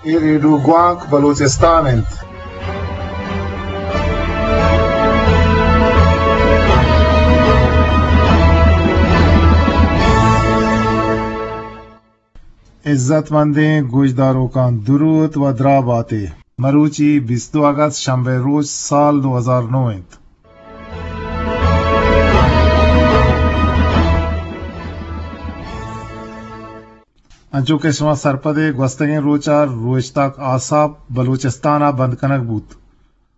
اے ریڈیو گوانک بلوچستان انت۔ عزت مندیں گوشداروکاں، دروت و دراہ باتے۔ مروچی بیست و دو اگست، شنبے روچ، سال دو ہزار نو انت۔ انچو کہ شما سرپد ئے، گوستگیں روچ ءَ روچتاک آساپ بلوچستان ءَ بند کنگ بوت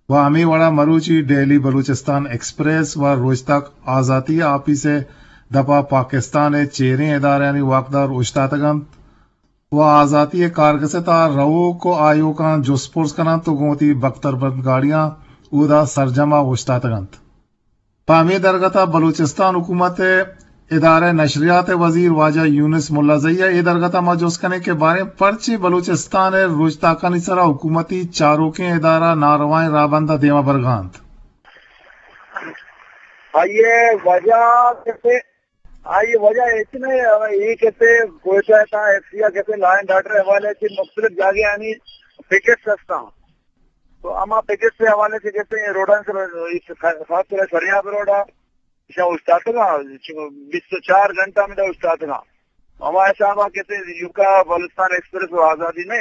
و ہمے وڑ ءَ مروچی ڈیلی بلوچستان ایکسپریس و روچتاک آزاتی آپیس ءِ دپ ءَ پاکستان ءِ چیریں ادارہانی واکدار اوشتاتگ انت و آزاتی ءِ کارگس ءِ تہا روک و آیوکاں جست پرس کن انت و گوں وتی بکتر بند گاڑیاں اودا سرجم ءَ اوشتاتگ انت۔ پہ ہمے درگت ءَ بلوچستان حکومت ءِ ادارہ نشریات ءِ وزیر واجہ یونس ملازئی ءَ اے درگت ءَ ما جست کنیں کہ باریں پرچے بلوچستان ءِ روچتاکانی سرا حکومتی چاروکیں ادارہ ناروائیں راہبند ءَ دیما برگ ءَ انت؟ آئی ءِ وجہ کسے، آئی ءِ وجہ ہچ نہ، اے کسے کوئٹہ ءِ تہا ایف سی ءَ کسے لا اینڈ آرڈر ءِ حوالے چہ مختلف جاگہانی پکٹس ہستاں۔ تو ہما پکٹس ءِ حوالے سے کسے روڈاں سر، خاص طور سریاب روڈا ایشاں اوشتاتگاں، بیست و چار گھنٹہ ہمدا اوشتاتگاں۔ ہما حسابا کسے یوکا بلوچستان ایکسپریس و آزادی نہ،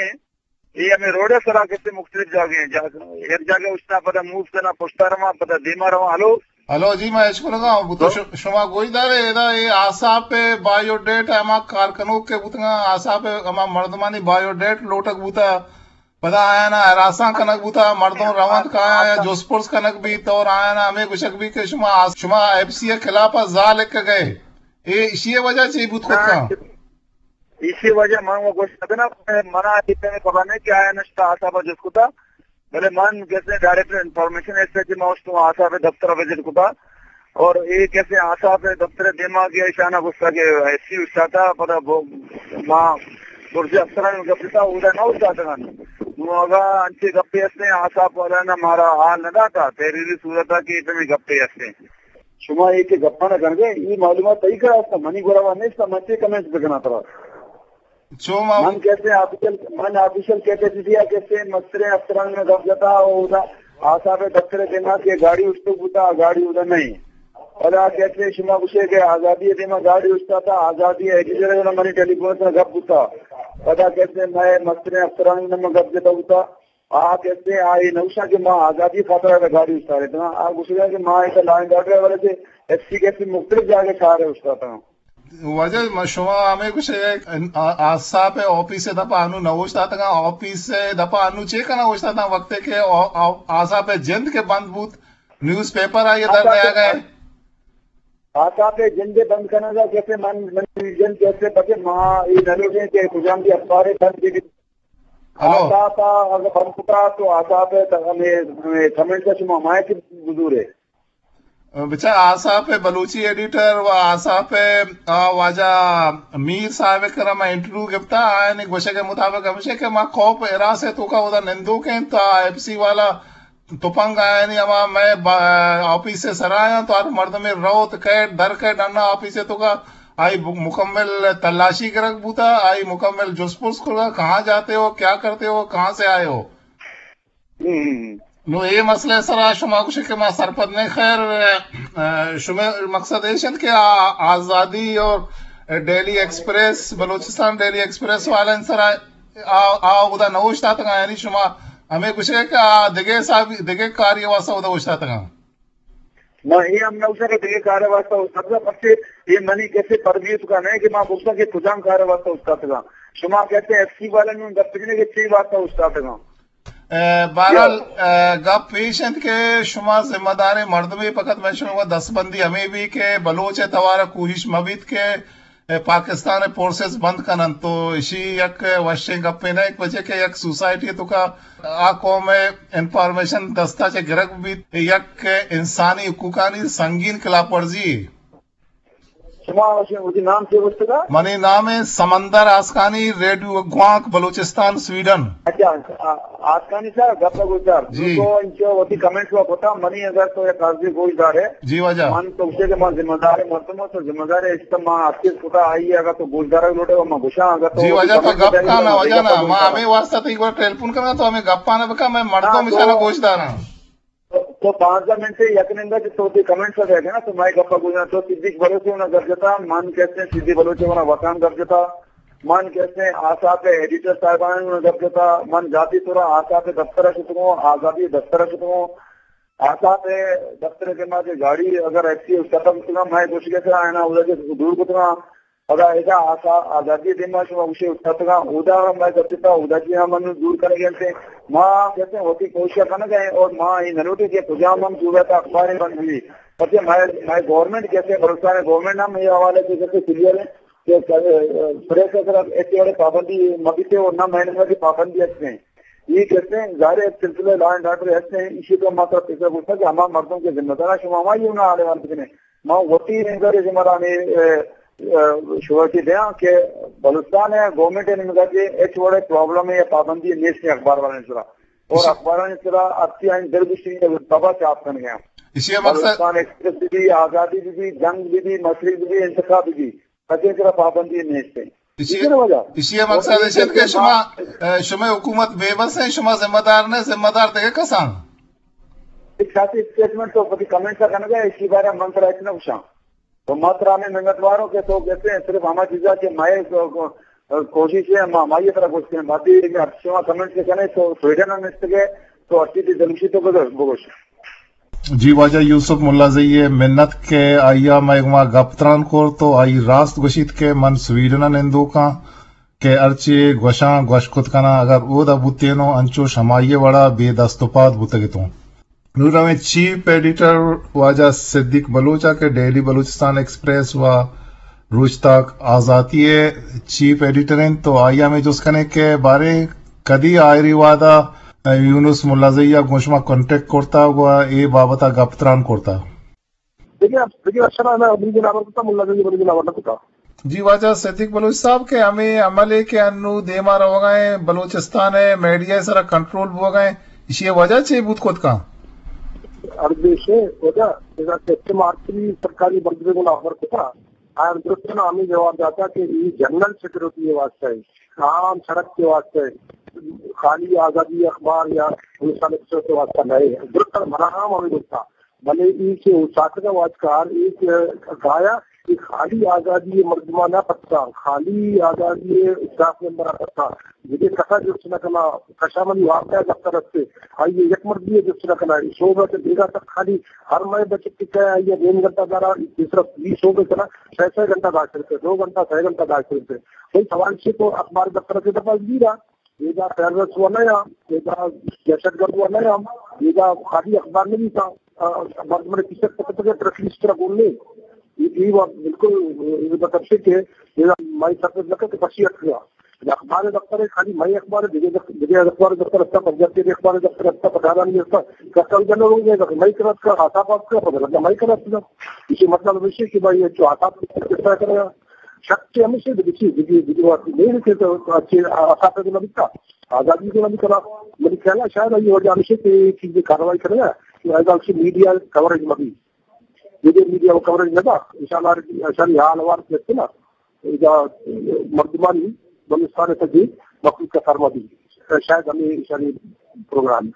اے ہمے روڈ ءِ سرا کسے مختلف جاگہ ہیں، جاگہ، یک جاگہ اوشتاں، پدا موو کناں، پشتا رواں، پدا دیما رواں۔ ہلو؟ ہلو، جی، ما اشکنگا ہوں۔ تو تو؟ ش-، شما گوش دارے، ادا اے آساپ ءِ بایو ڈیٹ، ہما کارکنوک کہ بوتگاں، آساپ ءِ ہما مردمانی بایو ڈیٹ لوٹگ بوتا، پدا آیانا ہراساں کنگ بوتا، مردم رونت کہ آیاں جست پرس کنگ بیت اور آیانا ہمے گوشگ بیت کہ شما آس-، شما ایف سی ءِ خلاف ءَ زال لکھگ ئے۔ اے ایشی ءِ وجہ چی بوت کت کن؟ ایشی ءِ وجہ من و گوشت نہ کناں، منا اے پیمیں خبر نہ کہ آیاں نشتا آساپ ءَ جست کتا، بلے من کسے ڈائریکٹ انفارمیشن ایس ایچ ما اوشتوں آساپ ءِ دفتر ءَ وزٹ کتا۔ اور اے کسے آساپ ءِ دفتر ءِ دیما کہ ایشانا گوشتا کہ ایف سی اوشتاتا، پدا بو-، ما برج افسران گپ جتا، اودا نہ اوشتاتگاں۔ نوں اگاں انچیں گپے ہستیں، آساپ والا نہ مارا حال نہ داتا، تحریری صورت ءَ کہ اے پیمیں گپے ہستیں۔ شما اے کہ گپاں نہ کنگے، اے معلومات تئی کرا ہستاں، منی گورا وا نیست، من چے کمنٹس بکناں ترا؟ چو ما من کہتے ہیں آفیشل، من آفیشل کیپیسٹی ءَ کہتے ہیں مستریں افسران نے گپ جتا، اودا آساپ ءِ دفتر ءِ دیما کہ گاڑی اشتو بوتا، گاڑی اودا نہیں۔ پدا کہتے ہیں شما گوشے کہ آزادی ءِ دیما گاڑی اشتا تا، آزادی ءِ ایڈیٹر ءَ منی ٹیلی فون ءَ گپ بوتا۔ پدا کہتے ہیں میں مستریں افسران نے من گپ جتا بوتا۔ آ کسے آئی نوشا کہ ما آزادی خاطر ءَ گاڑی استارتگاں۔ آ گوشگا کہ ما ایسا لا اینڈ آرڈر ءِ حوالے سے ایف سی کسے مختلف جاگہ شہر ءَ استاتگاں۔ واجہ، ما شما ہمے گوشے آ-، آساپ ءِ آفیس ءِ دپا انو نہ اوشتاتگاں، آفیس ءِ دپا انو چے کنا اوشتاتاں وقتے کہ آ-، آ-، آساپ ءِ جند کہ بند بوت، نیوز پیپر آئی در نیاگ ءَ۔ آساپ ءِ جند بند کنگا کسے من، من جند کسے پکے ما اے نہ لوٹیں کہ کجام بھی اخبار بند بہ ہلو۔ آساپ ءَ اگہ بند کتا تو آساپ ءِ تہ ہمے، ہمے کمنٹ ءَ شما مائک بزورے۔ بچار آساپ ءِ بلوچی ایڈیٹر و آساپ ءِ آ واجہ میر صاحب ءِ کرا ما انٹرویو گپتا، آیانی گوشگ ءِ مطابق ہمیش کہ ما خوف ہراس ءِ توکا اودا نندوک ایں، تا ایف سی والا تپنگ آیانی ہما مئے با-، آفیس ءِ سرا آیاں تو ہر مردمے روت کئیت در کئیت ڈنا آفیس ءِ توکا آئی ب-، مکمل تلاشی گرگ بوتا، آئی مکمل جست پرس کرگا، کہاں جاتے ہو، کیا کرتے ہو، کہاں سے آئے ہو؟ ہم۔ نو اے مسئلہ ءِ سرا شما گوشے کہ ما سرپد نہ، خیر، ا، شمئے مقصد ایش انت کہ آ-، آزادی اور ڈیلی ایکسپریس، بلوچستان ڈیلی ایکسپریس والے سرا آ، آ اودا نہ اوشتاتگاں، یعنی شما ہمے گوشے کہ آ دگہ حساب، دگہ کاری واسطہ اودا اوشتاتگاں۔ ما اے ہم نہ گوشاں کہ دگہ کارے واسطہ اوشتاتگاں، پرچے اے منی کسے پروی توکا نہ کہ ما بگوشاں کہ کجام کارے واسطہ اوشتاتگاں۔ شما کسے ایف سی والا نوں گپ جنے کہ چے واسطہ اوشتاتگاں۔ ء، بہرحال، ء، گپ ایش انت کہ شما ذمہ داریں مردمے، فقط من شما دستبندی ہمے بی کہ بلوچ ء توار ء کوشش مہ بیت کہ ء، پاکستان ء فورسز بند کن انت، تو اشی یک وشیں گپے نہ، یک وجہ کہ یک سوسائٹی ء توکا آ قوم ء انفارمیشن دستا چہ گرگ بیت، یک انسانی حقوقانی سنگین خلاف ورزی۔ شما وتی نام چے گوشتگا؟ منی نام سمندر آسکانی، ریڈیو گوانک، بلوچستان، سویڈن۔ اچھا، آ-، آسکانی صاحب، گپ گوشدار۔ جی۔ تو انچو وتی کمنٹس و کتا، منی اگر تو یک عرضی گوشدارے۔ جی واجہ۔ من تو گوشے کہ من ذمہ دار مردم ہوں، تو ذمہ دار است، ما ہر چیز کتا آئی، اگر تو گوشدار لوٹے و من گوشاں، اگر تو جی وتی واجہ، تو کمنٹ گپ کا نا، واجہ نا، ما ہمیں واسطہ تو ایک بار ٹیلیفون کرنا، تو ہمیں گپانا بکا، میں مردم ہاں، تو بچارا گوشداراں۔ تو، تو پانزدہ منٹ سے یک نمبر سے تو وتی کمنٹس دے گا نا، تو مئے گپا گوشاں، تو صدیق بلوچ نا گپ جتا، من کہتے ہیں صدیق بلوچ نا وطن گپ جتا، من کہتے ہیں آسات ایڈیٹر صاحبان نا گپ جتا، من ذاتی طور آسات دفتر شتگوں، آزادی دفتر شتگوں، آسات دفتر کے ما جو گاڑی اگر ایکسی اس ختم کتنا، میں گوشگے سے آئنا ادھر کے دور کتنا، پدا ادا آسا-، آزادی دیما شما گوشے اتکگاں، اودا ہم مئے گپتا، اودا چی ہم انو دور کنگے انتے۔ ما کہتے ہیں وتی کوشش کنگے ہیں اور ما یہ نلوٹے کہ کجام ہم صوبہ تا اخباریں بند بھی۔ پچے مئے، مئے گورنمنٹ کہتے ہیں، بلوچستان گورنمنٹ ہم یہ حوالے سے کہتے کلیئر ہے کہ پریس اگر ایسے والے پابندی مبیتے اور نہ مہینے کی پابندی ہستے ہیں۔ یہ کہتے ہیں ظاہر ہے ایک سلسلہ لا اینڈ آرڈر ہستے ہیں، اسی کو مطلب پیسہ گوشتا کہ ہما مردم کے ذمہ دار ہیں، شما ہماری انہاں آلے والے بکنے۔ ما وتی نظر ذمہ دارانی، اے، اے، شوہتی دیاں کہ بلوچستان ہے، گورنمنٹ ہے نظر کہ ہچ وڑے پرابلم ہے یا پابندی نیست ہے اخبار والے سرا۔ اور اسی اخبارانی سرا اچھی آئین در گشتی ہے، بابا چاپ کن گیا۔ اسی مقصد بلوچستان ایکسپریس بھی، آزادی بھی، جنگ بھی، مشرق بھی، انتخاب بھی، کسی سرا پابندی نیست ہے۔ اسی، اسی وجہ اسی مقصد ہے کہ شما، اے، شما حکومت بے بس ہے، شما ذمہ دار نہ، ذمہ دار دگہ کسان۔ ایک ساتھی اسٹیٹمنٹ تو کبھی کمنٹ کا کرنا ہے، اسی بارے من ترا اتنا پوچھا۔ تو ما ترا ہمیں منت واروں کہ تو کہتے ہیں صرف ہماری چیزا کہ مائے کو-، کو-، کوشش ہے، ہم ہماری طرح کوشش ہیں۔ باقی اگر شما کمنٹ سے کریں تو سویڈن ہم اس کے تو اچھی تھی دلوشی تو بگوش، بگوش۔ جی واجہ یوسف ملازئی ء منت کہ آئی ء مئے گوما گپ تران کرت و آئی راست گوشیت کہ من سویڈن ء نندوکاں کہ ہرچی گوشاں گوش کت کناں، اگر اودا بوتینوں انچوش ہمائی ء وڑا بے دست و پاد بوتگتوں۔ نوں رویں چیف ایڈیٹر واجہ صدیق بلوچ ء کہ ڈیلی بلوچستان ایکسپریس و روچتاک آزاتی ء چیف ایڈیٹر انت، تو آئی ء ہمے جست کنیں کہ باریں کدی آئری وہد ء یونس ملازئی ء گوں شما کانٹیکٹ کرتگ و اے بابت ء گپ تران کرتگ؟ دگہ، دگہ اشرا نہ، بلکہ نامر کتا ملازئی، بلکہ نامر نہ کتا۔ جی واجہ صدیق بلوچ صاحب کہ ہمے عملے کہ انو دیما روگا ہیں، بلوچستان ء میڈیا ء سرا کنٹرول بوگا ہیں، ایشی ء وجہ چے بوت کت کن؟ ہر دیش ء وجہ، اذا کہ مارچی سرکاری بندے گنا خبر کتا، آیاں درستاں ہمے جواب داتا کہ اے جنرل سیکورٹی ء واسطہ ہے، عام سڑک کے واسطہ ہے، خالی آزادی اخبار یا ہندوستان ایکسپریس کے واسطہ نہیں ہے۔ درستاں منا ہم ہمے گپتا، بلے اے کہ اوساتگا واجکار اے کہ گایا کہ خالی آزادی مردمانا پتہ، خالی آزادی اسٹاف ممبر پتہ، دگہ کسا جست نہ کنا، کشا منی واقعہ دفتر استے، آئی یک مردی جست نہ کنا، اے شعبہ تے بیگا تک خالی ہر مئے بچت کہ آئی نیم گھنٹہ دارا، تیسرا بی شعبہ کنا، سہ سہ گھنٹہ داشت رہتے، دو گھنٹہ، سہ گھنٹہ داشت رہتے۔ کوئی سوال چھ تو اخبار دفتر سے دفعہ گیرا، ادا ٹیررسٹ و نہ یا، ادا دہشت گرد و نہ یا، ادا خالی اخبار نہیں تھا، مردم نے پیچھے پتہ پتہ پریس ریلیز طرح بولنے، یہ، یہ بات بالکل، یہ مطلب سے کہ یہ مائی سرپد لگا کہ پسی اٹھ گیا۔ اخبار دفتر ہے، خالی مائی اخبار ہے، دیگه دف-، دیگه اخبار دفتر اچھا، پنجاب کے اخبار دفتر اچھا، پٹھارانی اچھا، کسا جنرل ہو گیا، مائی کرت کا، آتا پاس کا، پتہ لگا مائی کرت کا۔ اسی مطلب ہے کہ بھائی، یہ جو آتا پاس کا کرے گا، شک کہ ہمیشہ دگہ چیز، دگہ، دگہ بات نہیں کہ تو اچھے آسان تو نہ بکا، آزادی کو نہ بکا۔ میری خیال ہے شاید یہ وجہ ہمیشہ کہ چیز کارروائی کرے گا کہ ایسا اچھی میڈیا کوریج مبی، دگہ میڈیا کوریج نہ با، انشاءاللہ، انشاءاللہ حال وار کرتے نا، اذا مردمانی بلوچستان تجی مخلوق کا فرما بھی، شاید ہمیں انشاءاللہ پروگرام۔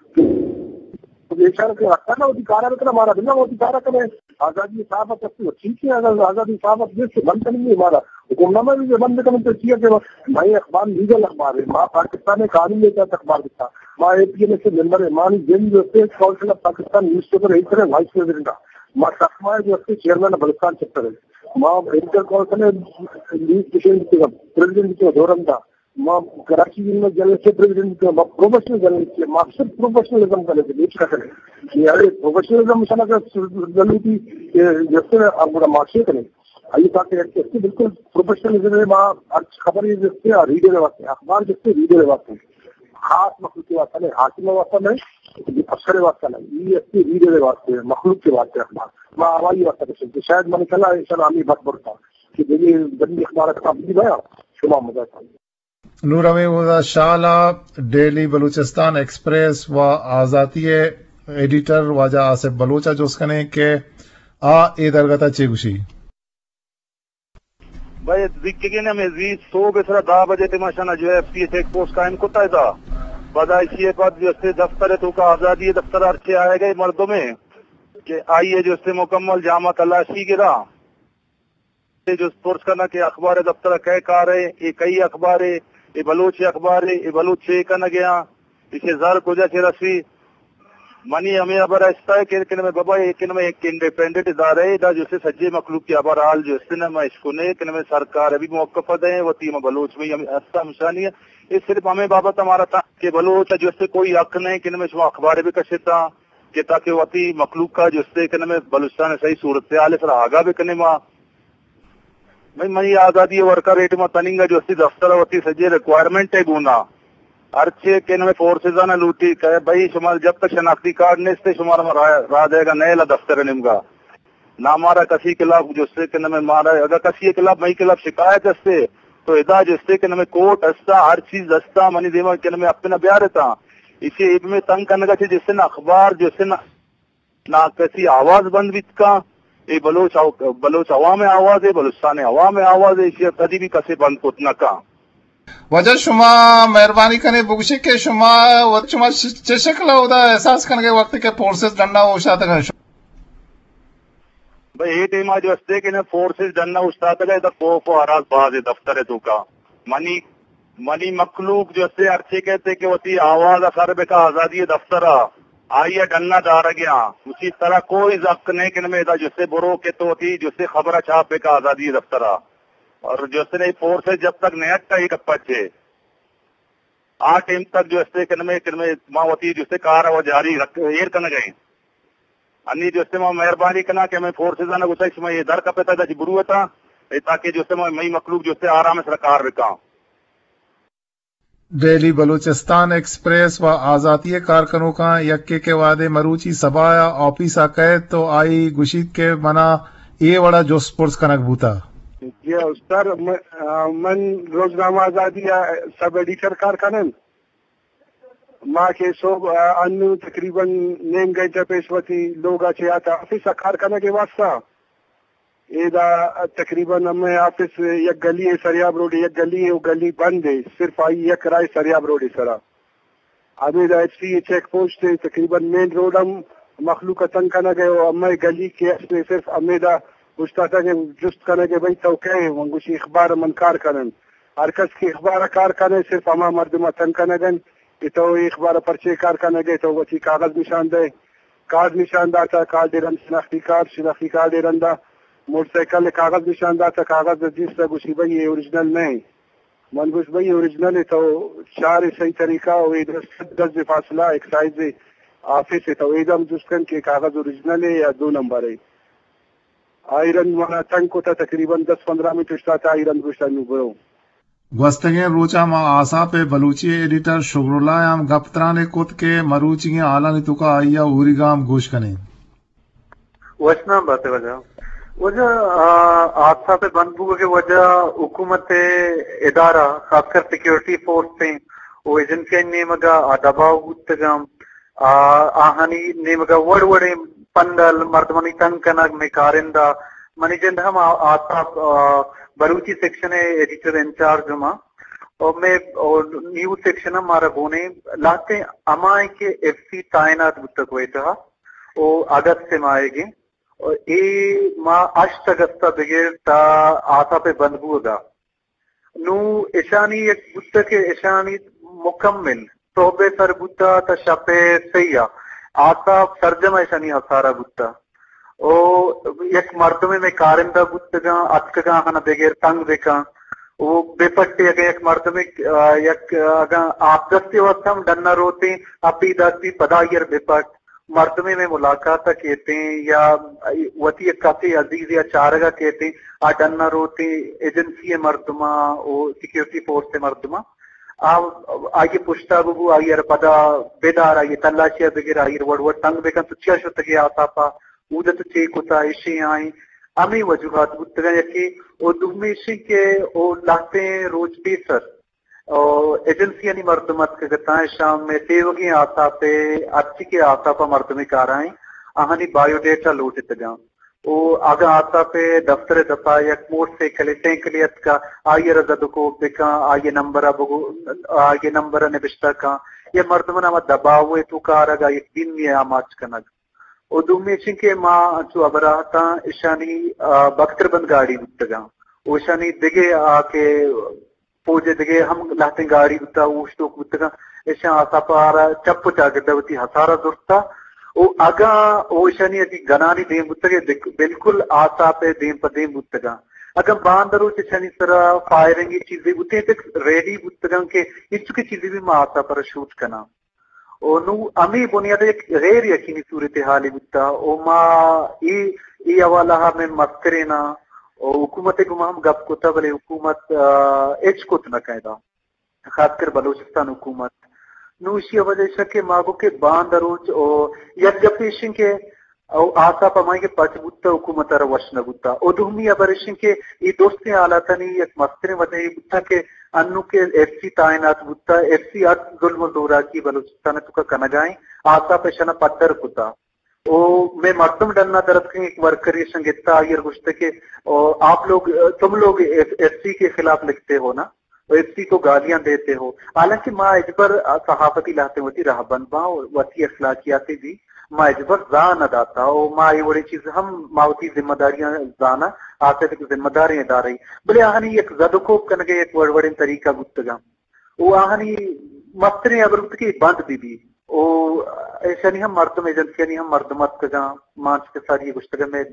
تو بیچارہ کہ رکھتا نا، وتی کارا بکنا، ہمارا بنا وتی کارا کرے۔ آزادی صحافت اچھی، ٹھیک ہے، اگر آزادی صحافت جس سے بند کریں گے ہمارا حکم نامہ بھی بند کریں تو ٹھیک ہے کہ بھائی اخبار لیگل اخبار ہے، ما پاکستان قانون کے تحت اخبار دیتا، ما اے پی این اے سے ممبر ہے، مانی جن جو اسٹیٹ کونسل آف پاکستان نیوز پیپر ایڈیٹر ہے، وائس پریزیڈنٹ ہے، ما سخما ہے جو اسٹیٹ چیئرمین بلوچستان چیپٹر ہے، ما ایڈیٹر کونسل ہے، نیوز پریزیڈنٹ، پریزیڈنٹ کے دورم تھا، ما کراچی یونیورسٹی جرنلسٹ کے پریزیڈنٹ، ما پروفیشنل جرنلسٹ، ما صرف پروفیشنلزم کا لیتے، نیچ کا کرے۔ یہ ارے پروفیشنلزم مثلا کا ضروری تھی کہ جیسے آپ بڑا مارشے کریں۔ آئیے تاکہ ایک، ایک بالکل پروفیشنلزم ہے، ما ہر خبر یہ جیسے ریڈر واسطے، اخبار جیسے ریڈر واسطے، خاص مخلوق کے واسطے نہیں، حاکم واسطے نہیں، افسر واسطے نہیں، یہ ایسے ریڈر واسطے، مخلوق کے واسطے اخبار۔ ما ہوائی واسطے کچھ، شاید من کلا انسان آمی بات برتا۔ کہ دگہ بندی اخبار کتاب بھی بیا شما مدد۔ نور امین اودا شال ءَ ڈیلی بلوچستان ایکسپریس و آزاتی ءِ ایڈیٹر واجہ آصف بلوچ ءَ جست کنیں کہ آ اے درگت ءَ چے گوشی۔ بھائی، زیکگیں ہمے زی صبح سرا دہ بجے ٹیما شنا جو ایف سی چیک پوسٹ قائم کتا تھا۔ پدا اسی پد جو استے دفتر ہے تو کا آزادی دفتر ہر چے آئے گئے مردمے کہ آئیے جو استے مکمل جامع تلاشی گرا۔ اے جست پرس کناں کہ اخبار دفتر ءَ کئے کار ءَ، اے کئی اخبار ءَ، اے بلوچ اخبار ءَ، اے بلوچ چے کنگ ءَ آں، ایشی زر کجا چہ رسی؟ منی ہمے ہبر است ءَ کہ، کہ نمے بابا، اے کہ نمے ایک انڈیپینڈنٹ ادارہ ءَ، ادا جو سے سجے مخلوق کی ہبر حال جو است نہ ما اشکنے، کہ نمے سرکار ءَ بھی موقف دیں، وتی ہم بلوچ میں ہم است ہمشانی ہے۔ اے صرف ہمیں بابت ہمارا تھا کہ بلوچ جو سے کوئی حق نہیں کہ نمے شما اخبار بھی کشتا، کہ تاکہ وتی مخلوق کا جو سے کہ نمے بلوچستان صحیح صورتحال سر آگاہ بکنے ما۔ بھئی، منی آزادی ورکر ریٹ ما تننگا جو استی دفتر وتی سجے ریکوائرمنٹ ہے گونا۔ ہرچے کہ نمے فورسز آنا لوٹی کہ بھئی شما جب تک شناختی کارڈ نیستے شما را، را دے گا نیلا دفتر نمگا۔ نہ مارا کسی خلاف جو سے کہ نمے مارا، اگر کسی خلاف، مئی خلاف شکایت استے تو ادا جو سے کہ نمے کورٹ استا، ہر چیز استا، منی دیما کہ نمے اپنا بیارتا۔ اسی ایب میں تنگ کنگا چے جس سے نہ اخبار جو سے نہ نا کسی آواز بند بیت کاں۔ اے بلوچ او-، بلوچ عوام آواز ہے، بلوچستان عوام آواز ہے، اسی کدی بھی کسے بند کت نہ کاں۔ واجہ شما مہربانی کنے بگوشے کہ شما وت شما چ-، چہ شکل اودا احساس کنگے وقت کہ فورسز ڈنڈا اوشتاتگ؟ بھئی، اے ٹائما جو استے کہ نہ فورسز ڈنا اوشتاتگ ء، ادا خوف و ہراس باز ء دفتر ء توکا۔ منی، منی مخلوق جو استے ہرچے کہتے کہ وتی آواز ء سر بکا آزادی ء دفتر ء، آئی ء ڈنا دارگ ء آں۔ اسی طرح کوئی حق نہیں کہ نمے ادا جو استے برو کہ تو وتی جو استے خبر ء چھاپ بکا آزادی ء دفتر ء۔ اور جو استے نہیں فورسز جب تک نہیں ہٹا یہ گپا چے۔ آ ٹائم تک جو استے کہ نمے، کہ نمے ما وتی جو استے کار ء جاری رکھ، ایر کنگ ء ایں۔ انی جو استے ما مہربانی کناں کہ ہمیں فورسز آنا گوشاں کہ شما یہ در کپتا دا جی برو اتا، اے تاکہ جو استے ما، مئی مخلوق جو استے آرام سرا کار بکاں۔ ڈیلی بلوچستان ایکسپریس و آزاتی کارکنوکاں یکے کہ وہدے مروچی سبا آفیس ء کئیت تو آئی گوشیت کہ منا اے وڑا جست پرس کنگ بوتا۔ جی سر، م-، آ، من روزنامہ آزادی ء سب ایڈیٹر کار کنن۔ ما کہ صبح، آ، انو تقریباً نیم گھنٹہ پیش وتی لوگ ء چہ آتا آفس ء کار کنگ ء واسطہ۔ ادا تقریباً ہمے آفس یک گلی ء سریاب روڈ ء، یک گلی ء، و گلی بند ء، صرف آئی یک راہ سریاب روڈ ء سرا۔ ہمیدا ایف سی ء چیک پوسٹ ء، تقریباً مین روڈ ہم مخلوق ء تنگ کنگ ء، و ہمے گلی کہ است ء صرف ہمیدا اوشتاتگ ء جست کنگ ء، بھئی تو کئے؟ من گوشی اخبار ء من کار کنن۔ ہر کس کہ اخبار ء کار کنئے، صرف ہما مردم ء تنگ کنگ انت کہ تو اے اخبار ء پرچے کار کنگ ئے، تو وتی کاغذ نشان دئے۔ کارڈ نشان داتا، کارڈ ء رند شناختی کارڈ، شناختی کارڈ ء رندا موٹر سائیکل ء کاغذ نشان داتا، کاغذ ء دیستا، گوشی بھئی اے اوریجنل نہ انت۔ من گوشت بھئی اوریجنل ء تو چار ء صحیح طریقہ ء، اے درست صد گز ء فاصلہ ایکسائز ء آفس ء، تو اے دم جست کن کہ کاغذ اوریجنل ء یا دو نمبر ء۔ آئی رند منا تنگ کتا، تقریباً دس پندرہ منٹ اوشتاتا، آئی رند گوشتا نوں برو۔ گوستگیں روچاں ما آساپ ء بلوچی ء ایڈیٹر شکراللہ ء ہم گپ ترانے کت کہ مروچیگیں حالانی توکا آئی ء اوریگا ہم گوش کنیں۔ وشنام بات ء وجہ، وجہ، آ، آساپ ء بند بوگ ء وجہ حکومت ء ادارہ، خاص کر سیکورٹی فورس ء و ایجنسی ء نیمگ ء آ دباؤ بوتگ ء آ، آہانی نیمگ ء وڑ وڑیں پندل، مردمانی تنگ کنگ، مئے کارندہ، منی جند ہم آ-، آساپ، آ، بلوچی سیکشن ء ایڈیٹر انچارج ہم آں۔ اور مئے، اور نیوز سیکشن ہم مارا گون ایں، لہتیں ہما ایں کہ ایف سی تعینات بوتگ و اتحا، او اگست ء ماہیگ ایں۔ اور اے ماہ ہشت اگست ء بگر تا آساپ ء بند بوگ ء۔ نوں اشانی یک بوتگ کہ اشانی مکمل صحب ء سر بوتا تا شپ ء سہی ء آساپ سرجم ء اشانی آسارا بوتا۔ او یک مردمے مئے کارندہ بوتگاں، اتکگاں آہانا بگر تنگ بکن۔ او بپٹے اگاں یک مردمے، آ، یک، آ، اگاں آپ دستی واسطہ ہم ڈنا روتیں، اپی دستی پدا ایر بپٹ۔ مردمے مئے ملاقات ء کیتیں یا وتی یک کسے عزیزے ء چارگ ء کیتیں، آ ڈن ء روتیں ایجنسی ء مردماں و سیکورٹی فورس ء مردماں، آ، آئی ء پشتا ببو، آئی ء را پدا بدار، آئی ء تلاشی ء بگر، آئی ء را وڑ وڑ تنگ بکن، تو چیا شتگے آساپ ء، اود ء تو چے کتا، اشیں آئیں۔ ہمے وجوہات بوتگاں، یکے او دومی ایش انت کہ او لہتیں روچ پیسر او ایجنسیانی مردم اتکگ اتاں، اشاں مئے تیوگیں آساپ ء ہرچی کہ آساپ ء مردمے کارائیں آہانی بایو ڈیٹا لوٹتگاں۔ او اگاں آساپ ء دفتر ء دپا یک موٹر سائیکلے، سائیکلے اتکا، آئی ء را زد و کوپ بکاں، آئی ء نمبر ء بگو، آئی ء نمبر ء نبشتہ کاں، یا مردماں ہما دباؤ ء توکا آرگ ء یک دیمی ء آماچ کنگ۔ و دومی چنکہ ما انچو ہبرا اتاں اشانی، آ، بکتر بند گاڑی بوتگاں۔ و اشانی دگہ آ کہ فوج ء دگہ ہم لہتیں گاڑی بوتا، اوشتوک بوتگاں۔ اشاں آساپارا چپ و چاگرد ء وتی ہسارا زرتا۔ و اگاں او اشانی اگہ گنانی دیم بوتگ ء بک-، بالکل آساپ ء دیم پہ دیم بوتگاں۔ اگاں باندروچ اشانی سرا فائرنگی چیزے بوتیں، تک ریڈی بوتگاں کہ انچو کہ چیزے بھی ما آساپارا شوٹ کناں۔ و نوں ہمے بنیاد ء یک غیر یقینی صورتحالے بوتا و ما اے، اے حوالہ ء مئے مستریناں و حکومت ء گوما ہم گپ کتا، بلے حکومت، آ، ہچ کت نہ کنت، خاص کر بلوچستان حکومت۔ نوں ایشی ء وجہ ایش کہ ما گو کہ باندروچ و یک گپ ایش کہ او آساپ ہمائی کہ پچ بوتہ، حکومت ء را وش نہ بوتہ۔ او دومی ہبر اش انت کہ اے درستیں حالاتانی یک مستریں وجہ اے بوتہ کہ انو کہ ایف سی تعینات بوتہ، ایف سی ہر ظلم و زوراکی بلوچستان ء توکا کنگائیں، آساپ اشانا پدر کتہ۔ او مئے مردم ڈنا درتکیں، یک ورکرے اشاں گپتہ، آئی ء گوشتہ کہ او آپ لوگ، تم لوگ ایف سی کے خلاف لکھتے ہو نا؟ و ایف سی کو گالیاں دیتے ہو۔ حالانکہ ما ہچبر صحافتی لہتیں وتی رہبند باں و وتی اخلاقیاتے بھی ما ہچبر زاہ نہ داتا و ما اے وڑیں چیز ہم ما وتی ذمہ داریاں زاناں، آتے تک ذمہ داریں ادارہ ای۔ بلے آہانی یک زد و کوپ کنگے یک وڑ وڑیں طریقہ بوتگاں۔ و آہانی مستریں ہبر بوت کہ بند بہ بی۔ و ایشانی ہم مردم، ایجنسیانی ہم مردم اتکگاں، ما انچو کہ ساری گوشتگاں، مئے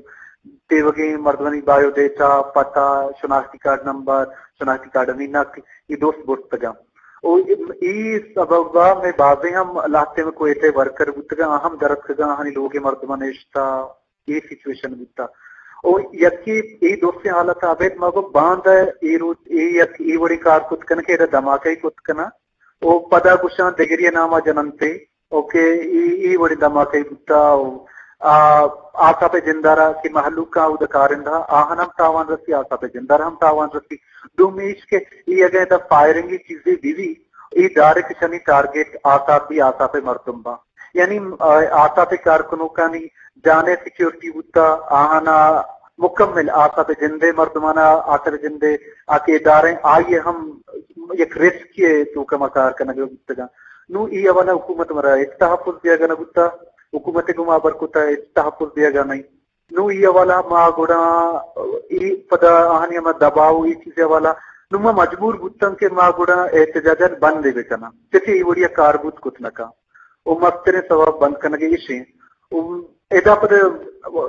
تیوگیں مردمانی بایو ڈیٹا، پتہ، شناختی کارڈ نمبر، شناختی کارڈانی نقل، اے دوست برتگاں۔ و اے سبب ء مئے بازیں ہم لہتیں کوئٹہ ورکر بوتگاں، آ ہم درتکگاں، آہانی لوگ ء مردماں نشتہ، اے سچویشن بوتا۔ او یکے اے دوستیں حالت ء ابید ما گوں باندا اے روچ اے یک اے وڑیں کار کت کناں کہ ادا دھماکہ کت کناں۔ او پدا گوشاں دگری ء نام ء جننتے۔ او کہ اے، اے وڑیں دھماکہ بوتا۔ او آ، آساپ ء جندارا کہ مہلوک ء اود کارندہ آہن ہم تاوان رسی، آساپ ء جندار ہم تاوان رسی۔ دومی ایش کہ اے اگاں ادا فائرنگی چیزے بہ بی، اے ڈائریکٹ اشانی ٹارگٹ آساپ بی، آساپ ء مردم باں۔ یعنی، آ، آساپ ء کارکنوکانی جان ء سیکیورٹی بوتا، آہانا مکمل آساپ ء جندے مردمانا آساپ ء جندے آ کہ ادارہ آئی ء ہم یک رسکی ء توکا ما کار کنگ ء بوتگاں۔ نوں اے حوالہ حکومت مارا ہچ تحفظ دیگا نہ بوتا، حکومت ء گوما ہبر کتا ہچ تحفظ دیگا نہیں۔ نوں اے حوالہ ما گڑا اے پدا آہانی ہما دباؤ اے چیز حوالہ نوں ما مجبور بوتاں کہ ما گڑا احتجاجات بند بکناں، چہ کہ اے وڑیا کار بوت کت نہ کن۔ و مستریں سوب بند کنگ ایش انت۔ و ادا پد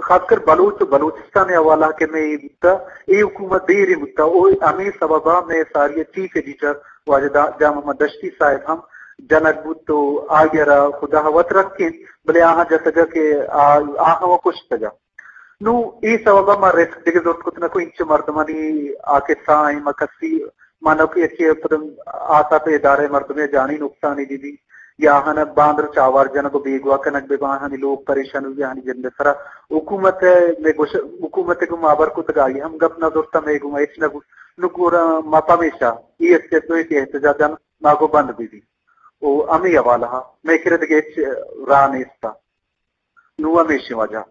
خاص کر بلوچ و بلوچستان ء حوالہ کہ مئے اے بوتا، اے حکومت دیریں بوتا، و ہمے سبب ء مئے ساری ء چیف ایڈیٹر واجہ دا-، جان محمد دشتی صاحب ہم جنگ بوت و آئی ء را خدا وت رکینت، بلے آہاں جتگ ء کہ آ-، آہاں و کشتگ ء۔ نوں اے سبب ء ما رسک دگہ زرت کت نہ کو، انچو مردمانی آ قصہ آئیں ما کسی مانو کہ یکے پدم آساپ ادارہ مردمے جانی نقصانی بہ بی یا آہاں باندر چاوار جنگ و بیگواہ کنگ بہ باں، آہانی لوگ پریشان بہ بی، آہانی جند سرا حکومت ء مئے گوش-، حکومت ء گوں ما ہبر کتگ آئی ہم گپ نہ زرتا، مئے گوں ہچ نہ گوشت۔ نوں گڑا ما پمیشا اے اسٹیپ نو کہ احتجاج ما گوں بند بہ بی۔ او ہمے حوالہ ء مئے کرا دگہ ہچ راہ نیستا۔ نوں ہمیشیں وجہ۔